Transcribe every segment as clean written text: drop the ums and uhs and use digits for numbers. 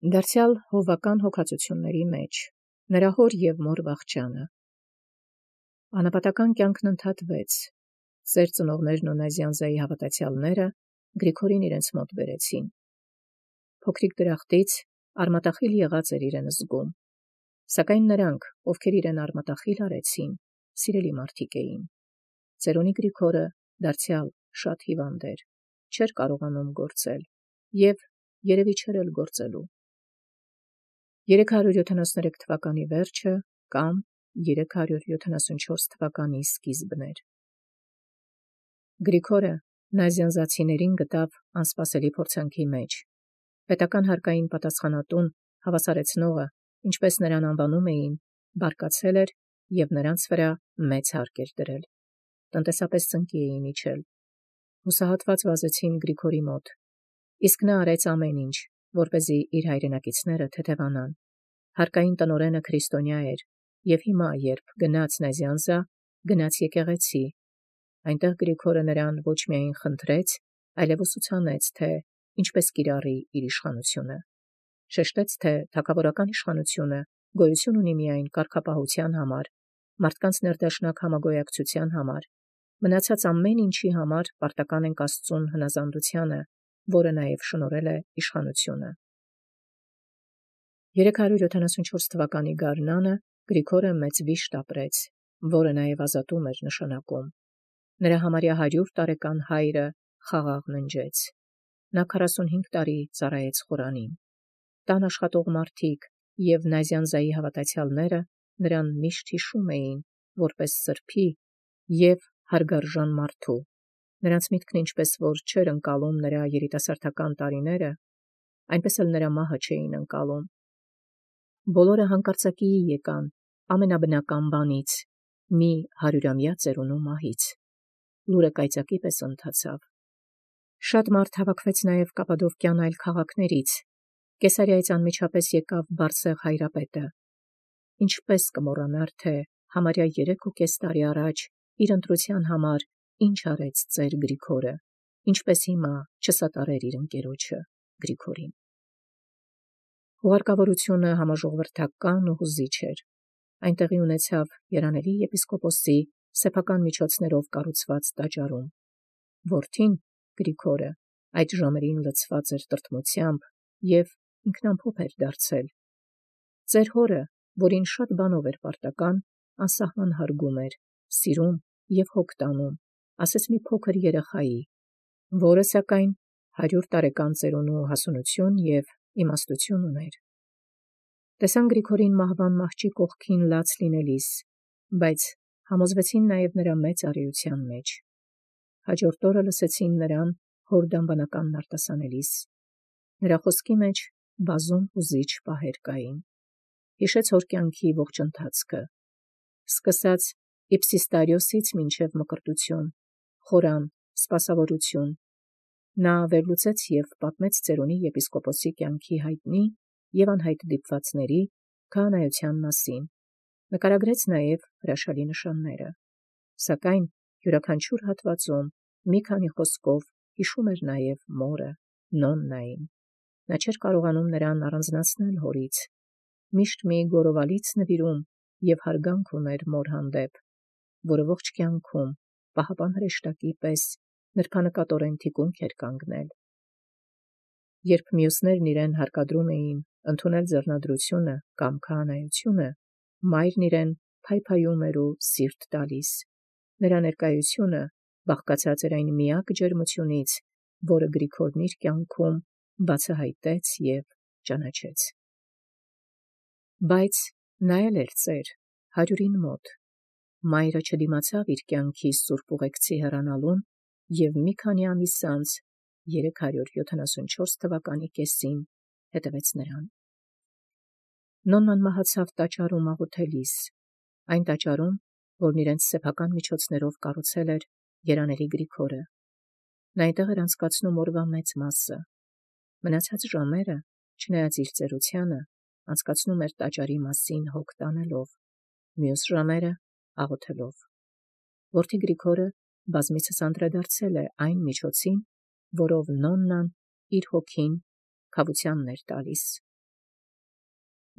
Դարձեալ հովվական հոգացութիւնացն մեջ, նրա հոր և մոր վախճանը։ Անապատական կյանքն ընդհատվեց, ծեր ծնողներն ու Նազյանզայի հավատացյալները Գրիգորին իրենց մոտ բերեցին։ Փոքրիկ դրախտից արմատախիլ եղած էր իրեն զգում, սակայն նրանք, ովքեր իրեն արմատախիլ արեցին, սիրելի մարդիկ էին։ Ծերունի Գրիգորը դարձեալ շատ հիվանդ էր, չէր կարողանում գործել և երևի չէր էլ գործելու։ 373 թվականի վերջը կամ 374 թվականի սկիզբն էր։ Գրիգորը նազյանզացիներին գտավ անսպասելի փորձանքի մեջ։ Պետական հարկային պատասխանատուն հավասարեցնողը, ինչպես նրան անվանում էին, բարկացել էր և նրանց վրա մեծ հարկ էր դրել։ Տնտեսապես ծնկի էին իջել։ Հուսահատված վազեցին Գրիգորի մոտ, իսկ նա արեց ամեն ինչ, որպեսզի իր հայրենակիցները թեթևանան։ Հարկային տնօրենը քրիստոնյա էր, և հիմա, երբ գնաց Նազյանզա, գնաց եկեղեցի։ Այնտեղ Գրիգորը նրան ոչ միայն խնդրեց, այլև ուսուցանեց, թե ինչպես կիրառի իր իշխանությունը։ Շեշտեց, թե թագավորական իշխանությունը գոյություն ունի միայն կարգապահության համար, մարդկանց ներդաշնակ համագոյակցության համար, մնացած ամեն ինչի համար պարտական ենք Աստծուն հնազանդությանը, որը նաև շնորհել է իշխանությունը։ 374 թվականի գարնանը Գրիգորը մեծ վիշտ ապրեց, որը նաև ազատում էր նշանակում։ Նրա համարյա 100 տարեկան հայրը խաղաղ ննջեց։ Նա 45 տարի ծառայեց Խորանին։ Տան աշխատող մարդիկ և Նազյանզայի հավատացյալները նրան միշտ հիշում էին, որպես սրբի և հարգարժան մարդու։ Նրանց միտքն ինչպես որ չէր ընկալում նրա երիտասարդական տարիները, այնպես էլ նրա մահը չէին ընկալում։ Բոլորը հանկարծակիի եկան ամենաբնական բանից՝ մի 100-ամյա ծերունու մահից։ Լուրը կայծակի պես ընթացավ։ Շատ մարդ հավաքվեց նաև Կապադովկյան այլ քաղաքներից։ Կեսարիայից անմիջապես եկավ Բարսեղ հայրապետը։ Ինչպես կմոռանար, թե համարյա 3.5 տարի առաջ իր ընտրության համար ինչ արեց ծեր Գրիգորը, ինչպես հիմա չսատարեր իր ընկերոջը Գրիգորին։ Հուղարկավորությունը համաժողովրդական ու հուզիչ էր։ Այնտեղի ունեցավ երանելի եպիսկոպոսի սեփական միջոցներով կառուցված տաճարում։ Որդին Գրիգորը այդ ժամերին լցված էր տրտմությամբ և ինքնամփոփ էր դարձել։ Ծեր հորը, որին շատ բանով էր պարտական, անսահման հարգում էր, սիրում և հոգ տանում, ասես մի փոքր երեխայի, որը սակայն 100 տարեկան ծերունու հասունություն և իմաստություն ուներ։ Տեսան Գրիգորին մահվան մահճի կողքին լաց լինելիս, բայց համոզվեցին նաև նրա մեծ առիության մեջ։ Հաջորդ օրը լսեցին նրան հոր դամբանականն արտասանելիս։ Նրա խոսքի մեջ բազում հուզիչ պահեր կային։ Հիշեց հոր կյանքի ողջ ընթացքը, սկսած Իպսիստարիոսից մինչև Մկրտություն, խորան, սպասավորություն։ Նա վերլուծեց և պատմեց ծերունի եպիսկոպոսի կյանքի հայտնի և անհայտ դիպվածների, քահանայության մասին, նկարագրեց նաև հրաշալի նշանները, սակայն յուրաքանչյուր հատվածում մի քանի խոսքով հիշում էր նաև մորը, Նոննային։ Նա չէր կարողանում նրան առանձնացնել հորից, միշտ մի գոռովալից նվիրում և հարգանք ուներ մոր հանդեպ, որը ողջ կյանքում պահապան հրեշտակի պես նրբանկատորեն թիկունք էր կանգնել։ Երբ մյուսներն իրեն հարկադրում էին ընդունել ձեռնադրությունը կամ քահանայությունը, մայրն իրեն փայփայում էր ու սիրտ տալիս։ Նրա ներկայությունը բաղկացած էր այն միակ ջերմությունից, որը Գրիգորն իր կյանքում բացահայտեց և ճանաչեց։ Բայց նա էլ էր ծեր, 100-ին մոտ։ Մայրը չդիմացավ իր կյանքի սուրբ ուղեկցի հեռանալուն և մի քանի ամիս անց 374 թվականի կեսին հետևեց նրան։ Նոննան մահացավ տաճարում աղոթելիս, այն տաճարում, որն իրենց սեփական միջոցներով կառուցել էր երանելի Գրիգորը։ Նա այնտեղ էր անցկացնում օրվա մեծ մասը։ Մնացած ժամերը, չնայած իր ծերությանը, անցկացնում էր տաճարի մասին հոգ տանելով, մյուս ժամերը աղոթելով։ Որդի Գրիգորը բազմիցս անդրադարձել է այն միջոցին, որով Նոննան իր հոգին քավությանն էր տալիս։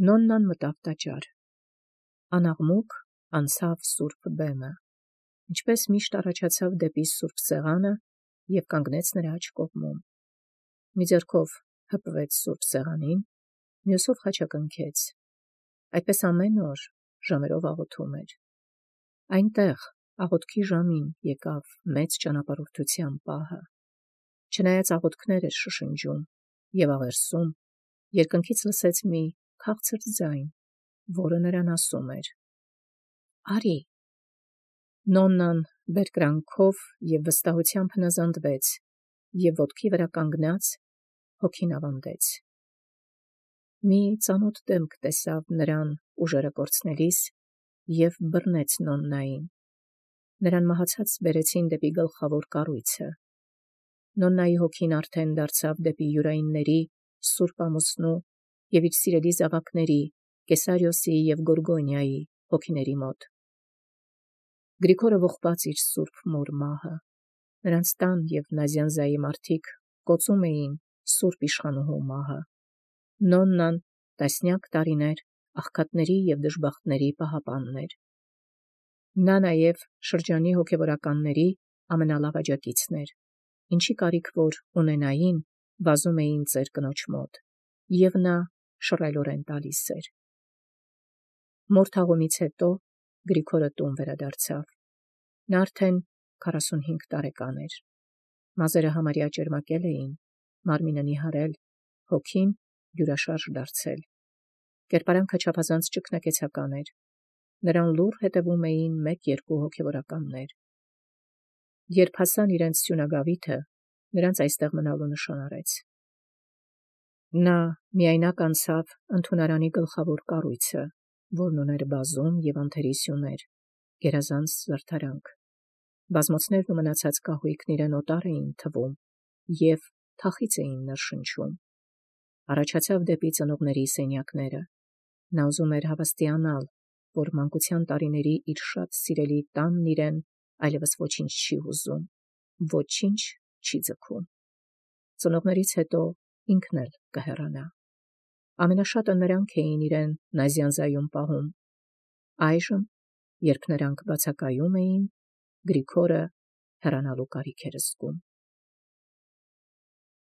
Նոննան մտավ տաճար։ Անաղմուկ անցավ սուրբ բեմը, ինչպես միշտ առաջացավ դեպի սուրբ սեղանը և կանգնեց նրա աջ կողմում։ Մի ձեռքով հպվեց սուրբ սեղանին, մյուսով խաչակնքեց։ Այդպես ամեն օր ժամերով աղոթում էր։ Այնտեղ աղոթքի ժամին եկավ մեծ ճանապարհորդության պահը։ Չնայած աղոթքներ էր շշնջում և աղերսում, երկնքից լսեց մի քաղցր ձայն, որը նրան ասում էր. «Արի»։ Նոննան բերկրանքով և վստահությամբ հնազանդվեց և ոտքի վրա կանգնած հոգին ավանդեց։ Մի ծանոթ դեմք տեսավ նրան ուժերը կորցնելիս և բռնեց Նոննային։ Նրան մահացած բերեցին դեպի գլխավոր կառույցը։ Նոննայի հոգին արդեն դարձավ դեպի յուրայինների, սուրբ ամուսնու և իր սիրելի զավակների, Կեսարիոսի և Գորգոնիայի հոգիների մոտ։ Գրիգորը ողբաց իր սուրբ մոր մահը։ Նրանց տան և Նազյանզայի մարդիկ կոծում էին սուրբ իշխանուհու մահը։ Նոննան տասնյակ տարիներ աղքատների և դժբախտների պահապանն էր։ Նա նաև շրջանի հոգևորականների ամենալավ աջակիցն էր, ինչի կարիք որ ունենային, վազում էին ծեր կնոջ մոտ, և նա շռայլորեն տալիս էր։ Մոր թաղումից հետո Գրիգորը տուն վերադարձավ։ Նա արդեն 45 տարեկան էր։ Մազերը համարյա ճերմակել էին, մարմինը նիհարել, հոգին հյուրաշարժ դարձել։ Կերպարանքը չափազանց ճգնակեցական էր։ Նրան լուռ հետևում էին 1-2 հոգևորականներ։ Երբ հասան իրենց սյունագավիթը, նրանց այստեղ մնալու նշան արեց։ Նա միայնակ անցավ ընդունարանի գլխավոր կառույցը, որն ուներ բազում և անթերի սյուներ, գերազանց զարդարանք։ Բազմոցներն ու մնացած կահույքն իրեն օտար էին թվում և թախիծ էին ներշնչում։ Առաջացավ դեպի ծնողների սենյակները։ Նա ուզում էր հավաստիանալ, որ մանկության տարիների իր շատ սիրելի տանն իրեն այլևս ոչինչ չի հուզում, ոչինչ չի ձգում։ Ծնողներից հետո ինքն էլ կհեռանա։ Ամենաշատը նրանք էին իրեն Նազյանզայում պահում։ Այժմ, երբ նրանք բացակայում էին, Գրիգորը հեռանալու կարիք էր զգում։